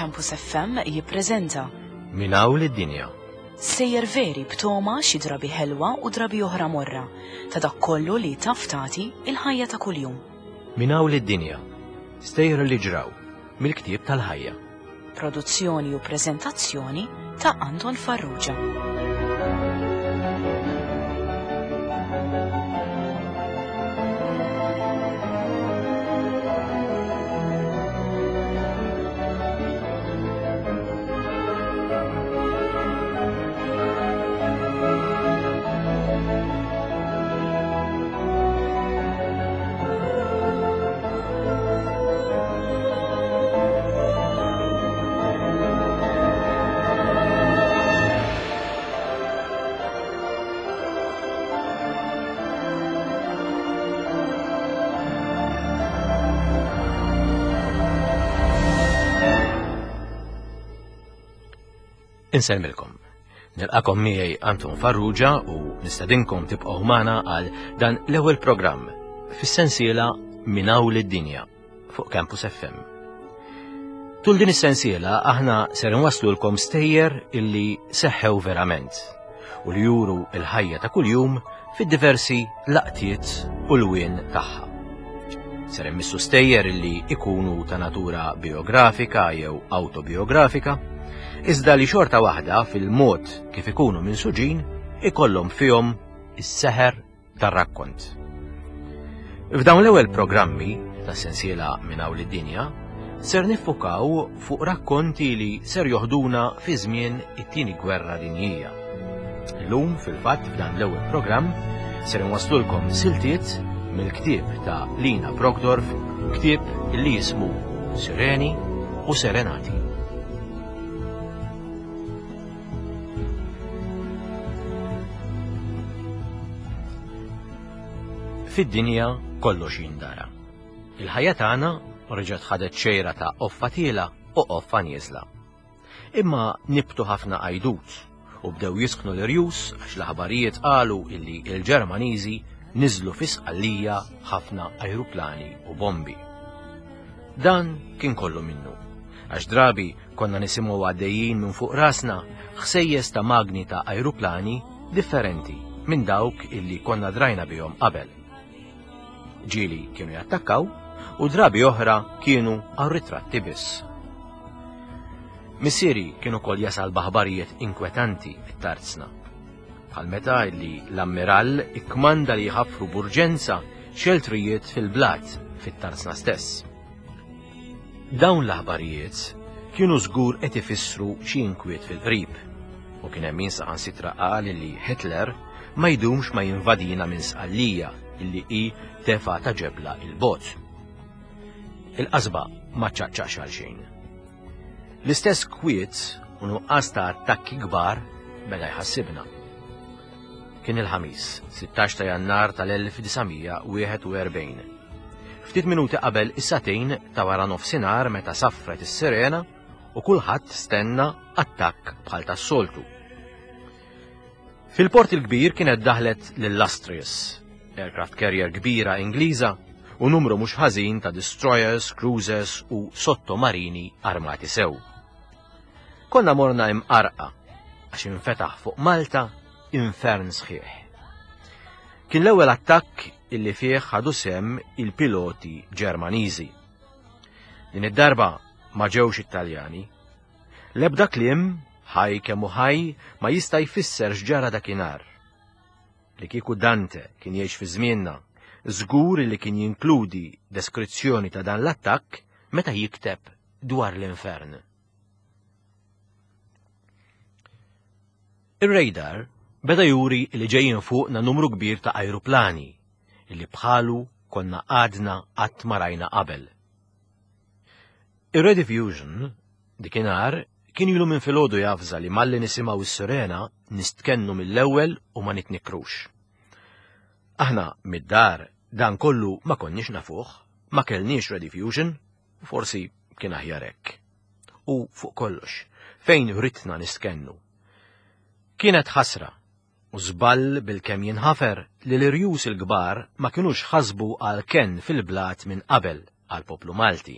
Campus FM jippreżenta Min hawn lid-dinja. Sejjer veri b'toma xi drabi ħelwa u drabi oħra morra ta' dak kollu li taf tagħti il-ħajja ta' kuljum. Min hawn lid-dinja. Stejjer li ġraw mill-ktieb tal-ħajja. Produzzjoni u preżentazzjoni ta' Anton Farrugia. Insellmilkom. Nilqakom miegħi Anton Farrugia u nistedinkom tibqgħu magħna għal dan l-ewwel programm fis-sensiela Minn hawn lid-dinja fuq Campus FM. Tul din is-sensiela aħna ser nwaslulkom stejjer illi seħħew verament u li juru l-ħajja ta' kuljum fid-diversi laqtiet u lwien tagħha. Ser immissu stejjer illi ikunu ta' natura biografika jew autobiografika, iżda li xorta waħda fil-mod kif ikunu minsuġin ikollhom fihom is-seħer tar-rakkont. F'dawn l-ewwel programmi tas-sensiela minn hawn id-dinja ser niffukaw fuq rakkonti li ser joħduna fi żmien it-tieni gwerra dinjija. Illum fil-fatt f'dan l-ewwel programm ser inwaslulkom siltiet mill-ktieb ta' Lina Brogdorf, ktieb li jismu Sireni u Serenati. Fid-dinja kollox jindara. Il-ħajja tagħna reġgħet ħadet xejra ta' qoffa tiela u qoffa nieżla. Imma nibtu ħafna għajdut u bdew jisħnu l-irjus għax l-aħbarijiet qalu illi l-Ġermaniżi niżlu fi Sqallija ħafna ajruplani u bombi. Dan kien kollu minnu, għax drabi Konna nisimgħu għaddejjin minn fuq rasna ħsejjes ta' magni ta' ajruplani differenti minn dawk illi konna drajna bihom qabel. Ġieli kienu jattakkaw u drabi oħra kienu għal ritratti biss. Missieri kien ukoll jasal b'aħbarijiet inkwetanti mit-tarzna. Bħal meta illi l-ammirall ikkmanda li jħaffru b'urġenza xeltrijiet fil-blat fit-tarzna stess. Dawn l-aħbarijiet kienu żgur qed ifissru xi inkwiet fil-qrib, u kien hemm min saħansitra qal li Hitler ma jdumx ma jinvadina minn Sqallija illi hi tefgħa ta' ġebla 'il bogħod. Il-qasba ma ċċaqċaqx għal xejn. L-istess kwiet u nuqqas ta' attakki kbar beda jħassibna. Kien il-Ħamis, 16 ta' Jannar tal-1941. Ftit minuti qabel is-sagħtejn ta' wara nofsinhar meta saffret is-sirena u kulħadd stenna attakk bħal tas-soltu. Fil-Port il-Kbir kienet daħlet l-Illustrious, aircraft carrier kbira Ingliża u numru mhux ħażin ta' destroyers, cruisers u sottomarini armati sew. Konna morna imqarqa għax infetaħ fuq Malta infern sħiħ. Kien l-ewwel attakk illi fih ħadu sehem il-piloti Ġermaniżi. Din id-darba ma ġewx it-Taljani. L-ebda kliem, ħaj kemm hu ħaj, ma jista' jfisser x'ġara dakinhar. Li kieku Dante kien jgħix fi żmienna, żgur li kien jinkludi deskrizzjoni ta' dan l-attakk meta jikteb dwar l-infern. Ir-radar beda juri li ġejjin fuqna numru kbir ta' ajruplani li bħalu konna għadna qatt ma rajna qabel. Ir-Rediffusion dikinhar kien ilu minn filgħodu javża li malli nisimgħu s-sirena nistkennu mill-ewwel u ma nitnikkrux. Aħna mid-dar dan kollu ma konniex nafuh, ma kellniex Rediffusion, u forsi kien aħjar hekk. U fuq kollox, fejn ridna nistkennu? Kienet ħasra u żball bilkemm jinħafer li l-irjus il-kbar ma kinux ħasbu għal kenn fil-blat minn qabel għall-poplu Malti.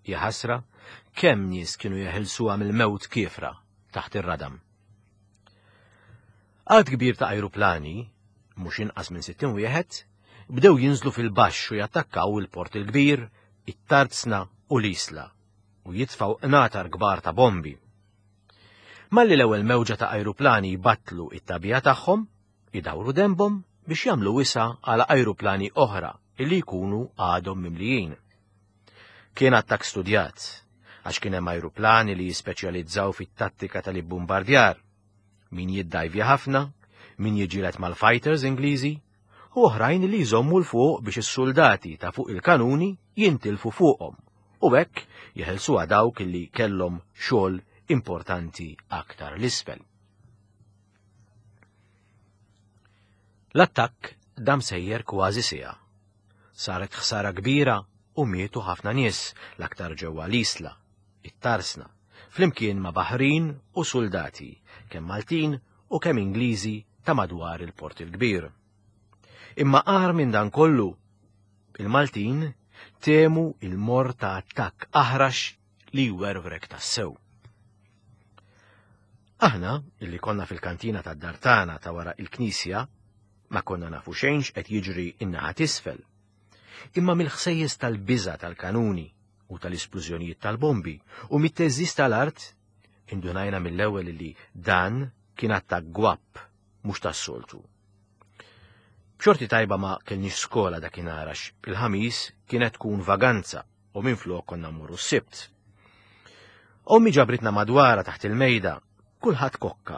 Hija ħasra kemm nies kienu jeħilsuha mill-mewt kiefra taħt ir-radam. Għadd kbir ta' ajruplani, mhux inqas minn 60 wieħed, bdew jinżlu fil-baxx u jattakkaw il-Port il-Kbir, it-Tarzna u l-Isla u jitfgħu qnatar kbar ta' bombi. Malli l-ewwel mewġa ta' ajruplani jbattlu it-tagħbija tagħhom, idawru denbhom biex jagħmlu wisa' għal ajruplani oħra illi jkunu għadhom mimlijin. Kien attakk studjat, għax kien hemm ajruplani li jispeċjalizzaw fit-tattika tal-ibbumbardjar, min jiddajvja ħafna, min jiġġieled mal-fighters Ingliżi, u oħrajn li jżommu 'l fuq biex is-suldati ta' fuq il-kanuni jintilfu fuqhom u hekk jeħelsuha dawk li kellhom xogħol importanti aktar l-isfel. L-attakk dam sejjer kważi siegħa. Saret ħsara kbira u mietu ħafna nies, l-aktar ġewwa l-Isla, it-Tarsna, flimkien ma' baħrin u suldati, kemm Maltin u kemm Ingliżi ta' madwar il-Port il-Kbir. Imma agħar minn dan kollu, il-Maltin temu il-morr ta' attakk aħrax li jwerwrek tassew. Aħna, illi konna fil-kantina tad-dar tagħna ta' wara il-knisja, ma konna nafu xejn x'qed jiġri in-naħa t'isfel. Imma mill-ħsejjes tal-biża' tal-kanuni u tal-isplużjonijiet tal-bombi u mit-theżżiż tal-art, indunajna mill-ewwel li dan kien attakk gwapp mhux tas-soltu. B'xorti tajba ma kellniex skola dakinhar għax il-Ħamis kienet tkun vaganza u minflok konna mmorru s-Sibt. Ommi ġabritna madwarha taħt il-mejda, kulħadd kokka,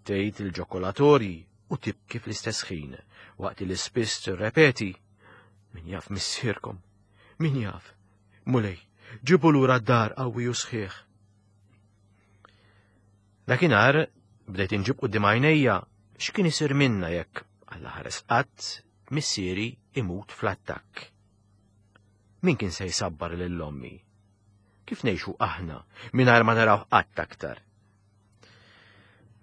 tgħid il-ġokolatorji u tibki fl-istess ħin, waqt li spiss tirrepeti, Min jaf missierkom, min jaf, Mulej, ġibu lura d-dar qawwi u sħiħ. Dakinhar bdejt inġib quddiem għajnejja x'kien isir minna jekk Alla ħares qatt missieri imut fl-attakk. Min kien se jsabbar lil ommi? Kif ngħixu aħna mingħajr ma naraw qatt aktar?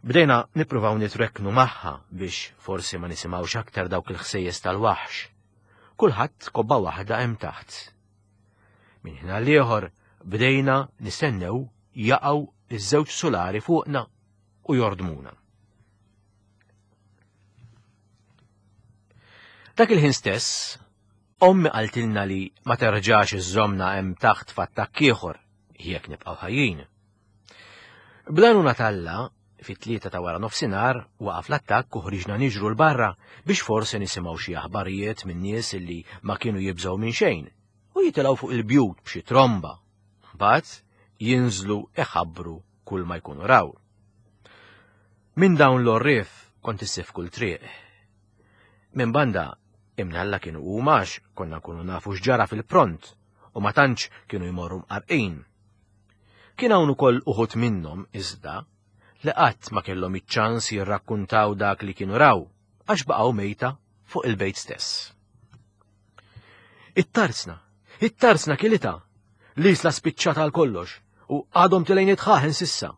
Bdejna nippruvaw nitrekknu magħha biex forsi ma nisimgħux aktar dawk il-ħsejjes tal-waħx. Kulħadd kobba waħda hemm taħt. Minn ħin għal ieħor bdejna nistennew jaqgħu iż-żewġ sulari fuqna u jordmuna. Dak il-ħin stess, ommi qaltilna li ma terġax iżżomna hemm taħt f'attakk ieħor jekk nibqgħu ħajjin. Bl-għajnuna t'Alla, fit-tlieta ta' wara nofsinhar waqaf l-attakk u ħriġna niġru 'l barra biex forsi nisimgħu xi aħbarijiet minn nies illi ma kienu jibżgħu minn xejn u jitilgħu fuq il-bjut b'xi tromba. Mbagħad jinżlu iħabbru kull ma jkunu raw. Minn dawn l-għorrief kont issib kull triq. Minn banda, imnalla kienu huma għax konna nkunu nafu x'ġara fil-pront u ma tantx kienu jmorru mqarqin. Kien hawn ukoll uħud minnhom iżda li qatt ma kellhom iċ-ċans jirrakkuntaw dak li kienu raw għax baqgħu mejta fuq il-bejt stess. It-tarzna, it-tarzna kilitha, l-isla spiċċata għal kollox u għadhom tilejn itħaħen sissa.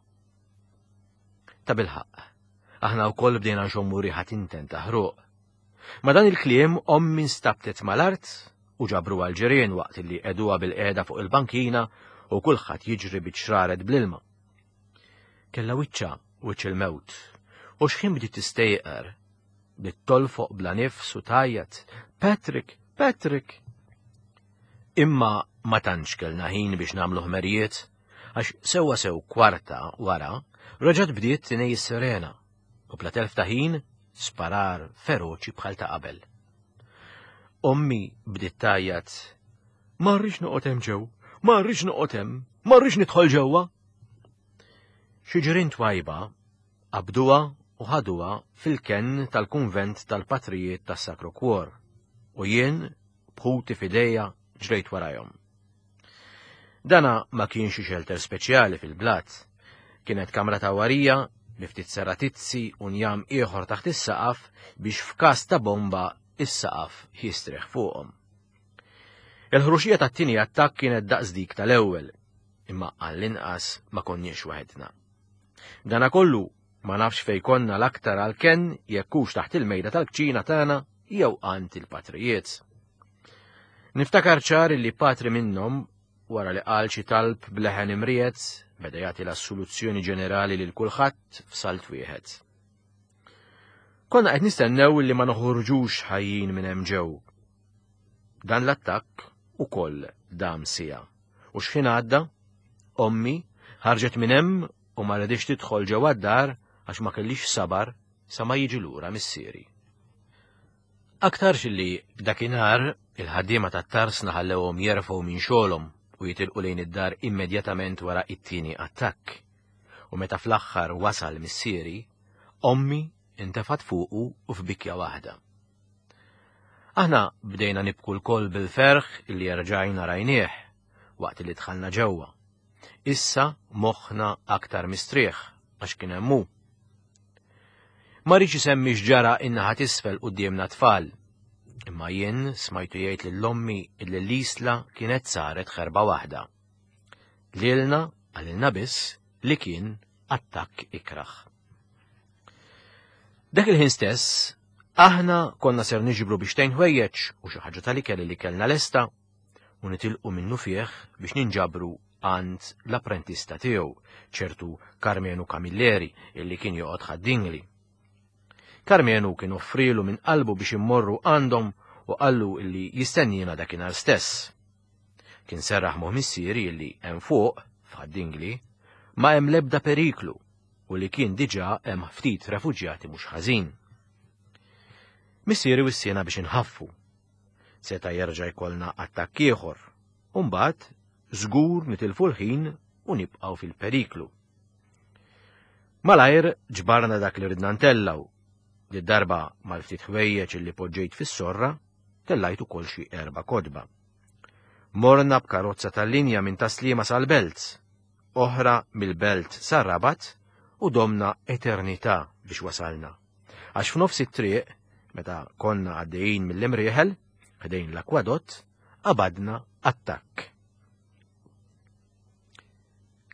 Ta' bilħaqq, aħna wkoll bdejna nxommu riħa tinten ta' ħruq. Ma' dan il-kliem ommi nstabtet mal-art u ġabruha l-ġirien waqt li qegħduha bil-qiegħda fuq il-bankina u kulħadd jiġri biċ-ċraret bl-ilma. Kellha wiċċha wiċċ il-mewt u x'ħin bdiet tistejqer bdiet tolfoq bla nifs u tgħajjat, Patrick, Patrick! Imma ma tantx kellna ħin biex nagħmlu ħmerijiet għax sewwa sew kwarta wara reġgħet bdiet tinej is-sirena u bla telf ta' ħin sparar feroċi bħal ta' qabel. Ommi bdiet tgħajjat, Ma rridx noqgħod hemm ġew, ma rridx noqgħod hemm, ma rridx nidħol ġewwa. Xi ġirien twajba qabduha u ħaduha fil-kenn tal-kunvent tal-patrijiet tas-Sacro Cuor u jien b'ħuti f'idejja ġrejt warajhom. Dana ma kienx xi xelter speċjali fil-blat. Kienet kamra ta' warija bi ftit seratizzi u njam ieħor taħt is-saqaf biex f'każ ta' bomba is-saqaf jistrieħ fuqhom. Il-ħruxija tat-tieni attakk kienet daqs dik tal-ewwel, imma għall-inqas ma konniex waħedna. Dana kollu ma nafx fej konna l-aktar għal-kenn jekk hux taħt il-mejda tal-kċina tagħna jew għand il-patrijiet. Niftakar ċar li patri minnhom wara li qal xi talb b'leħen imriegħed, beda jagħti l-assoluzzjoni ġenerali lil kulħadd f'salt wieħed. Konna qed nistennew li ma noħorġux ħajjin minn hemm ġew. Dan l-attakk ukoll dam siegħa. U x'ħin għadda, ommi ħarġet minn hemm u ma redix tidħol ġewwa d-dar għax ma kellix sabar sa ma jiġi lura missieri. Aktarx li dakinhar il-ħaddiema tat-tarsna ħallewhom jerfgħu minn xogħolhom u jitilqu lejn id-dar immedjatament wara it-tieni attakk. U meta fl-aħħar wasal missieri, ommi intefat fuqu u f'bikja waħda. Aħna bdejna nibku lkoll bil-ferħ illi erġajna rajnieh waqt li dħalna ġewwa. Issa moħħna aktar mistrieħ għax kien hemm hu. Ma rridx isemmi x'ġara in-naħa t'isfel quddiemna tfal. Imma jien smajtu jgħid lil ommi illi l-isla kienet saret ħerba waħda. Lilna qalilna biss li kien attakk ikrah. Dak il-ħin stess, aħna konna ser niġbru biex tgħin ħwejjeġ u xi ħaġa tal-ikel li kellna lesta u nitilqu minnufih biex ninġabru għand l-apprentista tiegħu, ċertu Karmenu Camilleri, illi kien joqgħod Ħad-Dingli. Karmenu kien offrilu minn qalbu biex immorru għandhom u qallu illi jistennina dakinhar stess. Kien serraħ moħ missieri illi hemm fuq, f'Ħad-Dingli, ma hemm l-ebda periklu u li kien diġà hemm ftit refuġjati mhux ħażin. Missieri wissiena biex inħaffu Seta' jerġa' jkollna attakk ieħor, u mbagħad żgur nitilfu l-ħin u nibqgħu fil-periklu. Malajr ġbarna dak li ridna ntellgħu. Did-darba mal-ftit ħwejjeġ li poġġejt fis-sorra, tellajt ukoll xi erba' kotba. Morna b'karozza tal-linja minn Taslima sal-Belt, oħra mill-Belt sar-Rabat u domna eternità biex wasalna. Għax f'nofs it-triq, meta konna għaddejjin mill-Imrieħel, ħdejn l-akwadott, qabadna attakk.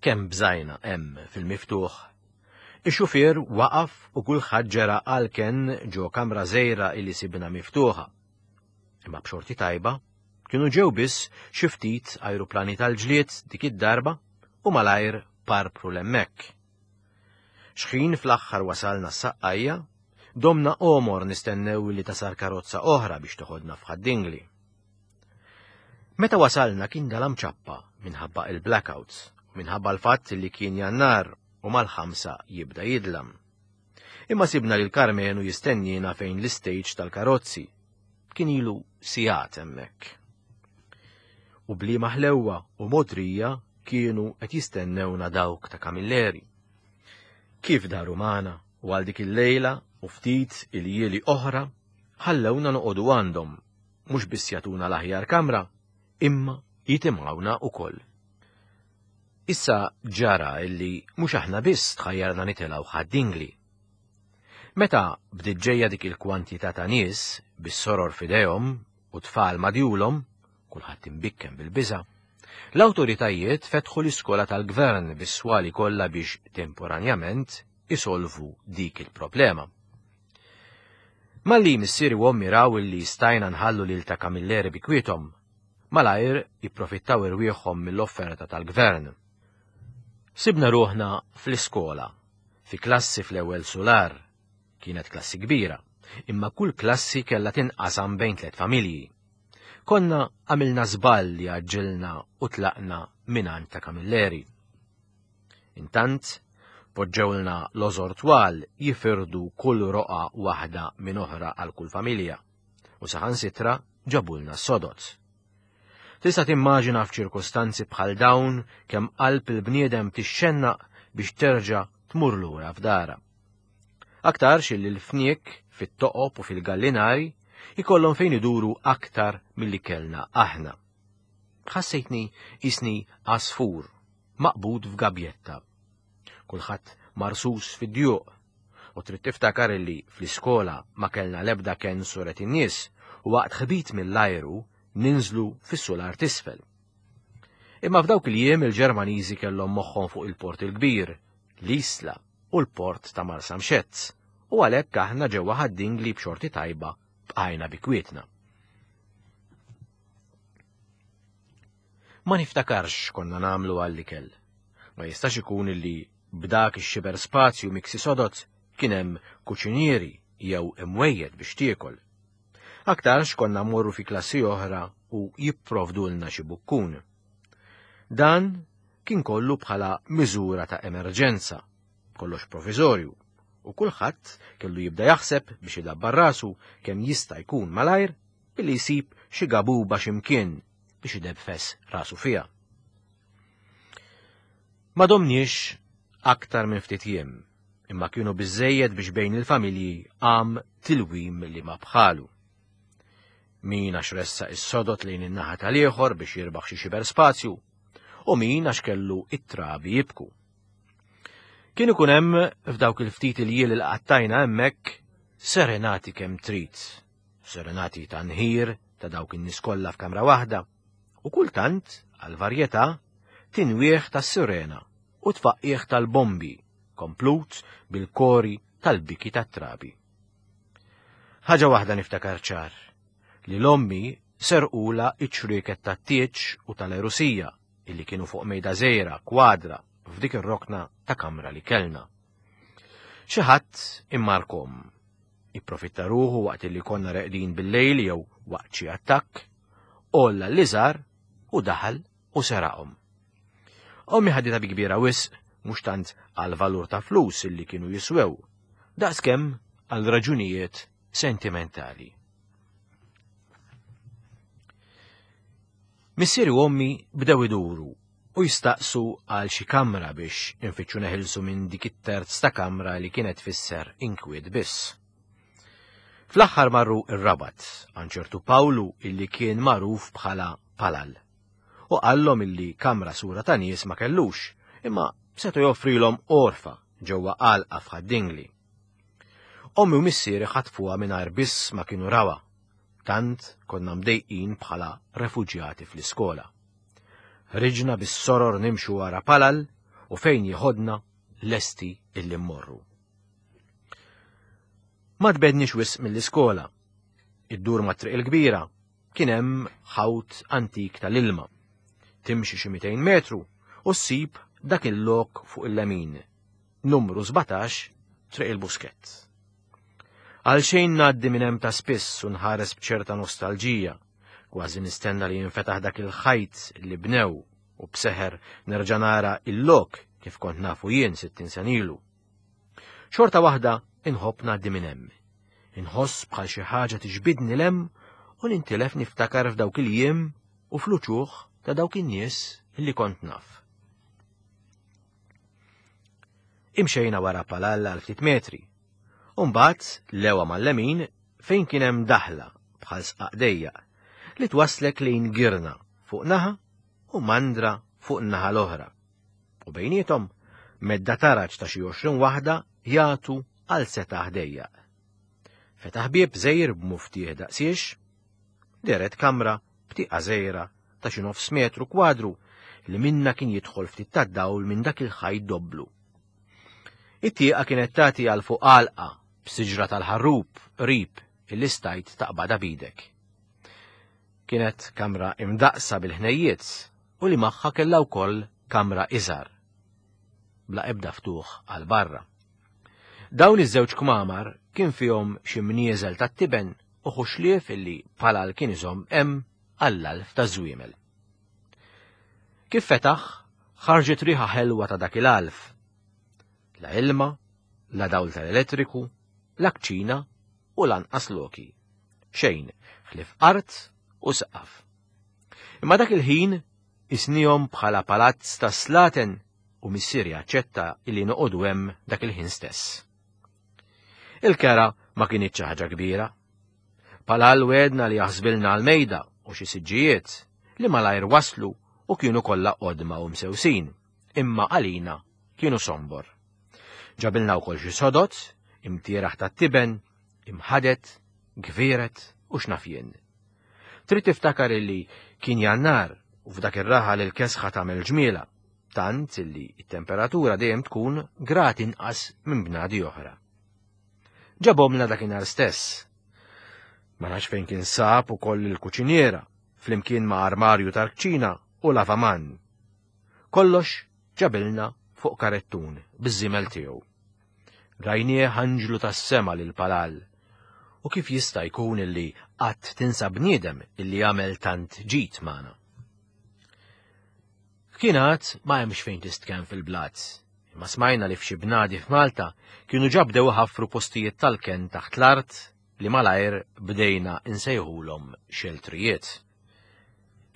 Kemm bżajna hemm fil-miftuħ. Ix-xufier waqaf u kulħadd ġera għal kenn ġo kamra żgħira li sibna miftuħa. Imma b'xorti tajba, kienu ġew biss xi ftit ajruplani tal-ġlied dik id-darba u malajr parpru l-hemmhekk. Xħin fl-aħħar wasalna s-Saqqajja, domna għomor nistennew li tasal karozza oħra biex toħodna f'Ħad-Dingli. Meta wasalna kien dalam ċappa minħabba il-blackouts u minħabba l-fatt li kien Jannar u mal-ħamsa jibda jidlam. Imma sibna lil Karmenu jistennina fejn l-istage tal-karozzi. Kien ilu sigħat hemmhekk. U bliema ħlewwa u mogħdrija kienu qed jistennewna dawk ta' Camilleri. Kif daru magħna u għal dik il-lejla u ftit iljieli oħra ħallewna noqogħdu għandhom, mhux biss jagħtuna l-aħjar kamra, imma jitimgħuna ukoll. Issa ġara illi mhux aħna biss tħajjarna nitilgħu Ħad-Dingli. Meta bdiet ġejja dik il-kwantità ta' nies bis-soror f'idejhom u tfal madjulhom, kulħadd imbikkem bil-biża', l-awtoritajiet fetħu l-iskola tal-gvern bis-swali kollha biex temporanjament isolvu dik il-problema. Malli missieri u ommi raw illi stajna nħallu lil ta' Camilleri bi kwiethom, malajr ipprofittaw irwieħhom mill-offerta tal-gvern. Sibna ruħna fl-iskola, fi klassi fl-ewwel sular. Kienet klassi kbira, imma kull klassi kellha tinqasam bejn tliet familji. Konna għamilna żball li għaġġilna u tlaqna mingħand ta' Camilleri. Intant, poġġewlna lożor twal jifirdu kull roqgħa waħda minn oħra għal kull familja, u saħansitra ġabulna s-sodod. Tista' timmaġina f'ċirkustanzi bħal dawn kemm qalb il-bniedem tixxennaq biex terġa' tmur lura f'darha. Aktarx illi l-fniek fit-toqob u fil-gallinari ikollhom fejn iduru aktar milli kellna aħna. Ħassejtni qisni għasfur maqbud f'gabjetta. Kulħadd marsus fid-djuq u trid tiftakar illi fl-iskola ma kellna l-ebda kenn suret in-nies u waqt ħbit mill-ajru ninżlu fis-sular t'isfel. Imma f'dawk il-jiem il-Ġermaniżi kellhom moħħhom fuq il-Port il-Kbir, l-Isla u l-Port ta' Marsamxett, u għalhekk aħna ġewwa Ħad-Dingli b'xorti tajba bqajna bi kwietna. Ma niftakarx x'konna nagħmlu għall-ikel. Ma jistax ikun illi b'dak ix-xiber spazju miksi sodod kien hemm kuċinieri jew imwejjed biex tiekol. Aktarx konna mmorru fi klassi oħra u jipprovdulna xi bukkun. Dan kien kollu bħala miżura ta' emerġenza, kollox proviżorju, u kulħadd kellu jibda jaħseb biex idabbar rasu kemm jista' jkun malajr billi jsib xi gabuba x'imkien biex idebfes rasu fiha. Ma domniex aktar minn ftit jiem, imma kienu biżżejjed biex bejn il-familji qam tilwim li ma bħalu. Min għax ressaq is-sodod lejn in-naħa tal-ieħor biex jirbaħ xi xiber spazju, u min għax kellu it-trabi jibku. Kien ikun hemm f'dawk il-ftit il-jiel li qattajna hemmhekk serenati kemm trid, serenati ta' nħir ta' dawk in-nies kollha f'kamra waħda, u kultant, għal varjetà, tinwieħ tas-sirena u tfaqqigħ tal-bombi, komplut bil-kori tal-biki tat-trabi. Ħaġa waħda niftakar ċar, li l-ommi serqula iċ-ċrieket tat-tieġ u tal-erusija illi kienu fuq mejda żgħira kwadra f'dik ir-rokna ta' kamra li kellna. Xi ħadd immarkom. Ipprofitta ruħu waqt li konna reqdin bil-lejl jew waqt xi attakk, għolla l-liżar u daħal u seraqhom. Ommi ħaditha bi kbira wisq mhux tant għal valur ta' flus illi kienu jiswew, daqskemm għal raġunijiet sentimentali. Missieri u ommi bdew iduru u jistaqsu għal xi kamra biex infittxu neħilsu minn dik it-terz ta' kamra li kienet tfisser inkwiet biss. Fl-aħħar marru ir-Rabat għand ċertu Pawlu illi kien magħruf bħala Palal u qallhom illi kamra sura ta' nies ma kellux, imma seta' joffrilhom għorfa ġewwa għalqa f'Ħad-Dingli. Ommi u missieri ħatfuha mingħajr biss ma kienu rawha, tant konna mdejqin bħala refuġjati fl-iskola. Ħriġna bis-soror nimxu wara Palal u fejn jeħodna lesti illi mmorru. Ma tbedniex wisq mill-iskola. Iddur mat-triq il-kbira kien hemm ħawt antik tal-ilma. Timxi xi 200 metru u ssib dak il-lok fuq il-lemin, numru 17, Triq il-Buskett. Għal xejn ngħaddi minn hemm ta' spiss u nħares b'ċerta nostalġija, kważi nistenna li jinfetaħ dak il-ħajt li bnew u b'seħer nerġa' nara il-lok kif kont nafu jien 60 sen ilu. Xorta waħda inħobb ngħaddi minn hemm. Inħoss bħal xi ħaġa tiġbidni 'l hemm u nintilef niftakar f'dawk il-jiem u fl-uċuħ ta' dawk in-nies li kont naf. Imxejna wara Palalla għal ftit metri. U mbagħad lewa mal-lemin fejn kien hemm daħla bħal sqaq dejjaq li twasslek lejn girna fuq naħa u mandra fuq in-naħa l-oħra. U bejniethom medda taraġ ta' xi 20 waħda jagħtu għal setaħ dejjaq. Fetaħ bieb żgħir b'muftieħ daqsiex, dehret kamra b'tieqa żgħira ta' xi nofs metru kwadru li minna kien jidħol ftit tad-dawl minn dak il-ħajt dobblu. It-tieqa kienet tagħti għal fuq għalqa b'siġra tal-ħarrub qrib illi stajt taqbadha b'idek. Kienet kamra imdaqqsa bil-ħnejjiet u li magħha kellha wkoll kamra iżgħar, bla ebda ftuħ għal barra. Dawn iż-żewġ kmamar kien fihom xi mnieżel tat-tiben u ħuxlief illi Palal kien iżomm hemm għall-għalf taż-żwiemel. Kif fetaħ, ħarġet riħa ħelwa ta' dak il-għalf. La ilma, la dawl tal-elettriku, la kċina u lanqas loki. Xejn, ħlief art u saqaf. Imma dak il-ħin isnihom bħala palazz ta' slaten u missieri aċċetta illi noqogħdu hemm dak il-ħin stess. Il-kera ma kinitx xi ħaġa kbira. Palal wedna li jaħsbilna għal-mejda u xi siġġijiet li malajr waslu u kienu kollha qodma u msewsin, imma għalina kienu sombor. Ġabilna wkoll xi sodod, imtieraħ tat-tiben, imħadet, gvieret u x'naf jien. Trid tiftakar illi kien Jannar u f'dak ir-raħal il-kesħa tagħmel ġmiela, tant illi t-temperatura dejjem tkun grad inqas minn bnadi oħra. Ġabhomlna dakinhar stess. Ma nafx fejn kien sab ukoll il-kuċiniera, flimkien ma' armarju tal-kċina u lavaman. Kollox ġabilna fuq karettun biż-żiemel tiegħu. Rajnieh anġlu tas-sema lil Palal. U kif jista' jkun illi qatt tinsa bniedem illi għamel tant ġid magħna? Kien għad ma hemmx fejn tistkenn fil-blat, imma smajna li f'xi bnadi f'Malta kienu ġa bdew iħaffru postijiet tal-kenn taħt l-art li malajr bdejna nsejħulhom xeltrijiet.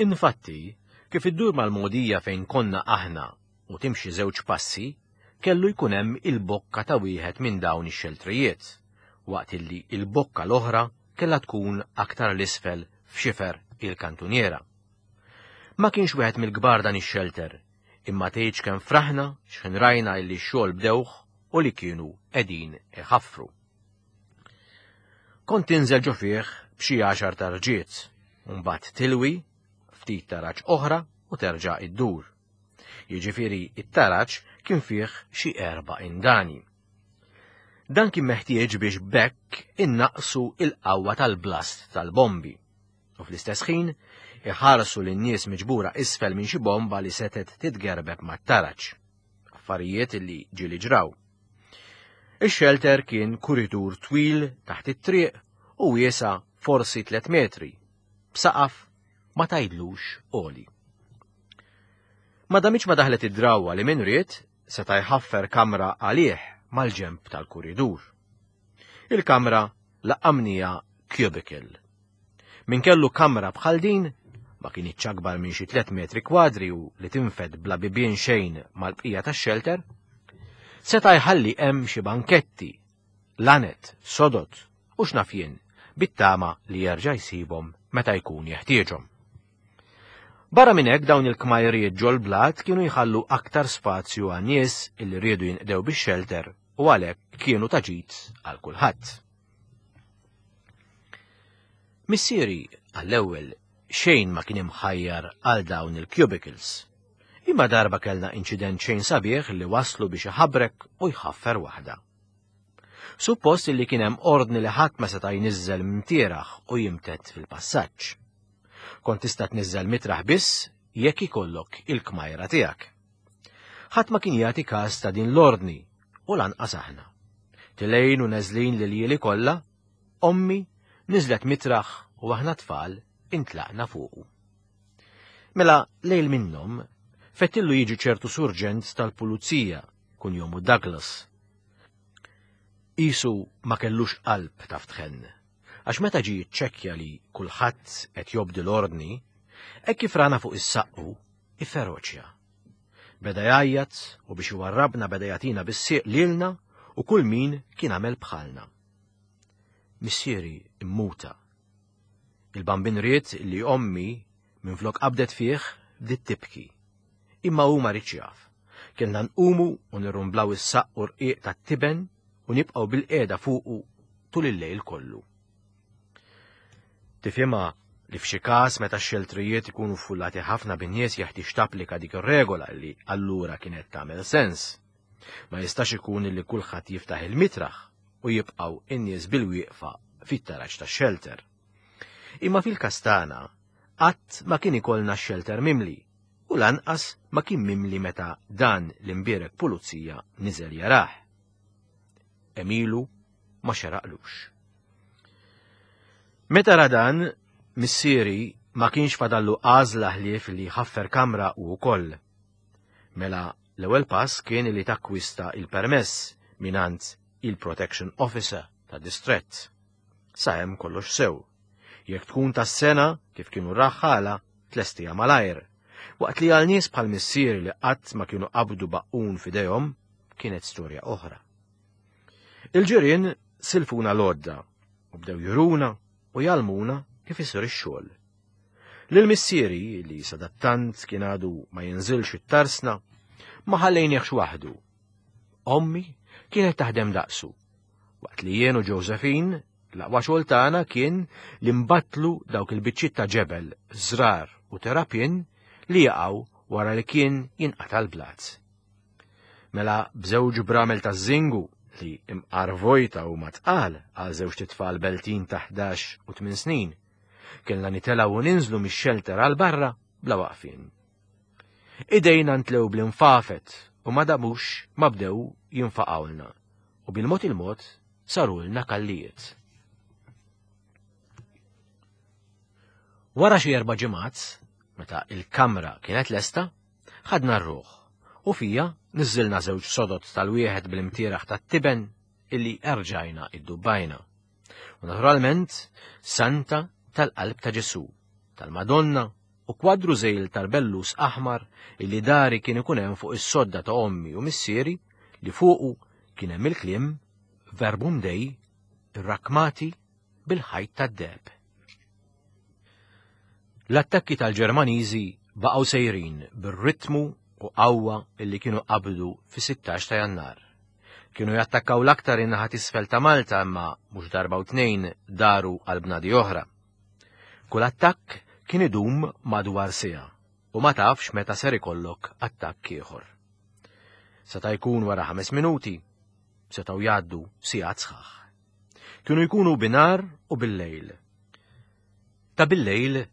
Infatti, kif iddur mal-mogħdija fejn konna aħna u timxi żewġ passi, kellu jkun hemm il-bokka ta' wieħed minn dawn ix-xeltrijiet, waqt illi il-bokka l-oħra kellha tkun aktar 'l isfel f'xifer il-kantuniera. Ma kienx wieħed mill-kbar dan ix-xelter, imma tgħidx kemm fraħna x'ħin rajna illi x-xogħol bdewh u li kienu qegħdin iħaffru. Kont tinżel ġo fih b'xi għaxar tarġiet, u mbagħad tilwi ftit taraġ oħra u terġa' iddur. Jiġifieri it-taraġ kien fih xi erba' indani. Dan kien meħtieġ biex b'hekk innaqsu il-qawwa tal-blast tal-bombi. U fl-istess ħin iħarsu lin-nies miġbura isfel minn xi bomba li setgħet titgerbeb mat-taraġ. Affarijiet li ġieli ġraw. Ix-xelter kien kuritur twil taħt it-triq u wiesa forsi 3 metri, b'saqaf ma tgħidlux għoli. Ma damitx ma daħlet id-drawwa li min ried seta' jħaffer kamra għalih mal-ġenb tal-kuridur. Il-kamra laqqamniha cubicle. Min kellu kamra bħal din ma kinitx akbar minn xi 3 metri kwadri u li tinfed bla bibien xejn mal-bqija tax-xelter, seta' jħalli hemm xi banketti, lanet, sodod u x'naf jien bit-tama li jerġa' jsibhom meta jkun jeħtieġhom. Barra minn hekk dawn il-kmajriet ġol-blat kienu jħallu aktar spazju għan-nies illi riedu jinqdew bix-xelter u għalhekk kienu ta' ġid għal kulħadd. Missieri għall-ewwel xejn ma kien imħajjar għal dawn il-cubicles. Imma darba kellna inċident xejn sabiħ li waslu biex iħabrek u jħaffer waħda. Suppost li kien hemm ordni li ħadd ma seta' jniżżel mtieraħ u jimtedd fil-passaġġ. Kont tista' tniżżel mitraħ biss jekk ikollok il-kmajra tiegħek. Ħadd ma kien jagħti każ ta' din l-ordni u lanqas aħna. Tilejn u neżlin l-iljieli kollha, ommi niżlet mitraħ u aħna tfal intlaqna fuqu. Mela lejl minnhom fettillu jiġi ċertu surġent tal-pulizija kunjomu Douglas. Isu ma kellux qalb taf tħenn, għax meta ġie jiċċekkja li kulħadd qed jobdi l-ordni, hekk kif rana fuq is-saqqu, ifferoċja. Beda jgħajjat u biex iwarrabna beda jagħtina bis-sieq lilna u kull min kien għamel bħalna. Missieri immuta. Il-bambin ried li ommi minflok qabdet fih bdiet tibki. Imma hu ma riedx jaf. Kellna nqumu u nirrumblaw is-saqq u rqiq tat-tiben u nibqgħu bil-qiegħda fuqu tul il-lejl kollu. Tifhimha li f'xi każ meta x-xeltrijiet ikunu ffullati ħafna bin-nies jeħtieġ tapplika dik ir-regola li allura kienet tagħmel sens. Ma jistax ikun li kulħadd jiftaħ il-mitraħ u jibqgħu in-nies bil-wieqfa fit-taraġ tax-xelter. Imma fil-każ tagħna qatt ma kien ikollna x-xelter mimli u lanqas ma kien mimli meta dan l-imbierek pulizija niżel jarah. Emilu ma xeraqlux. Meta ra dan, missieri ma kienx fadallu għażla ħlief li jħaffer kamra u wkoll. Mela l-ewwel pass kien li takkwista il-permess mingħand il-Protection Officer ta' distrett. Sa hemm kollox sew. Jekk tkun tas-sena kif kienu r-raħħala, tlestiha malajr. Waqt li għal nies bħal missieri li qatt ma kienu qabdu baqqun f'idejhom, kienet storja oħra. Il-ġirien silfuna l-għodda u bdew juruna u jgħallmuna kif isir ix-xogħol. Lil missieri li sadattant kien għadu ma jinżilx it-tarsna, ma ħallejniehx waħdu. Ommi kienet taħdem daqsu, waqt li jien u Josephine l-aqwa xogħol tagħna kien li nbattlu dawk il-biċċiet ta' ġebel, żrar u terapin li jaqgħu wara li kien jinqata' l-blat. Mela b'żewġ bramel ta' żingu li imqar vojta u tqal għal żewġ titfal beltin ta' 11 u 8 snin. Kellna nitelgħu u ninżlu mix-xelter għal barra bla waqfien. Idejna ntlew bl-infafet u ma damux ma bdew jinfaqgħulna u bil-mod il-mod sarulna kallijiet. Wara xi erba' ġimgħat, meta il-kamra kienet lesta, ħadna r-ruħ u fija niżżilna żewġ sodod tal-wieħed bl-imtieraħ tat-tiben illi erġajna iddubbajna. U naturalment, Santa tal-Qalb ta' Ġesu, tal-Madonna u kwadru żejl tal-bellus aħmar illi dari kien ikun hemm fuq is-sodda ta' ommi u missieri li fuqu kien hemm il-kliem Verbum Dei irrakmati bil-ħajt tad-deheb. L-attakki tal-Ġermaniżi baqgħu sejrin bir-ritmu u qawwa illi kienu qabdu fis-16 ta' Jannar. Kienu jattakkaw l-aktar in-naħa t'isfel ta' Malta imma mhux darba u tnejn daru għal bnadi oħra. Kull attakk kien idum madwar siegħa u ma tafx meta ser ikollok attakk ieħor. Seta' jkun wara ħames minuti, setgħu jgħaddu sigħat sħaħ. Kienu jkunu binar u bil-lejl. Ta' bil-lejl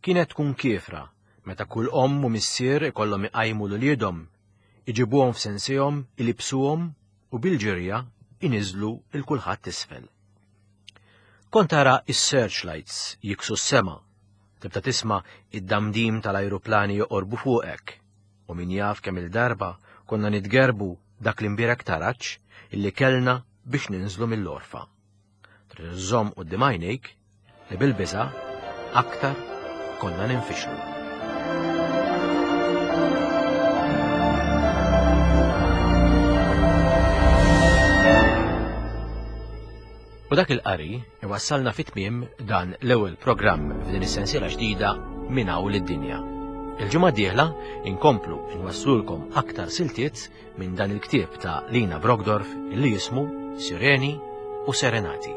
kienet tkun kiefra meta kull omm u missier ikollhom iqajmu 'l uliedhom, iġibuhom f'sensihom, ilibsuhom u bil-ġirja iniżlu 'l kulħadd isfel. Kont tara is-searchlights jiksu s-sema, tibda tisma' id-damdim tal-ajruplani joqorbu fuqek, u min jaf kemm-il darba konna nitgerbu dak l-imbierek taraġ illi kellna biex ninżlu mill-għorfa. Trid iżżomm quddiem għajnejk li bil-biża' aktar konna ninfixlu. U dak il-qari iwassalna fit tmiem dan l-ewwel programm f'din is-sensiela ġdida minn hawn lid-dinja. Il-ġimgħa d-dieħla inkomplu nwasslulkom aktar siltiet minn dan il-ktieb ta' Lina Brockdorff li jismu Sireni u Serenati.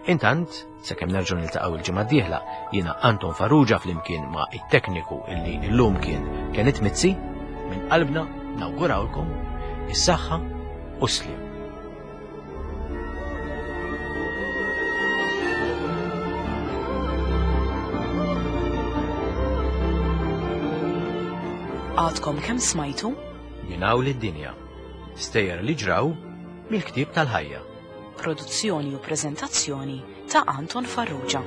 Intant, sakemm nerġgħu niltaqgħu il-ġimgħa d-dieħla, jiena Anton Farrugia flimkien ma' it-tekniku illi llum kien Kenneth Mizzi, minn qalbna nawgurawlkom is-saħħa u s-sliem. Għadkom kemm smajtu? Minn hawn lid-dinja. Stejjer li ġraw mill-ktieb tal-ħajja. Produzzjoni u preżentazzjoni ta' Anton Farrugia.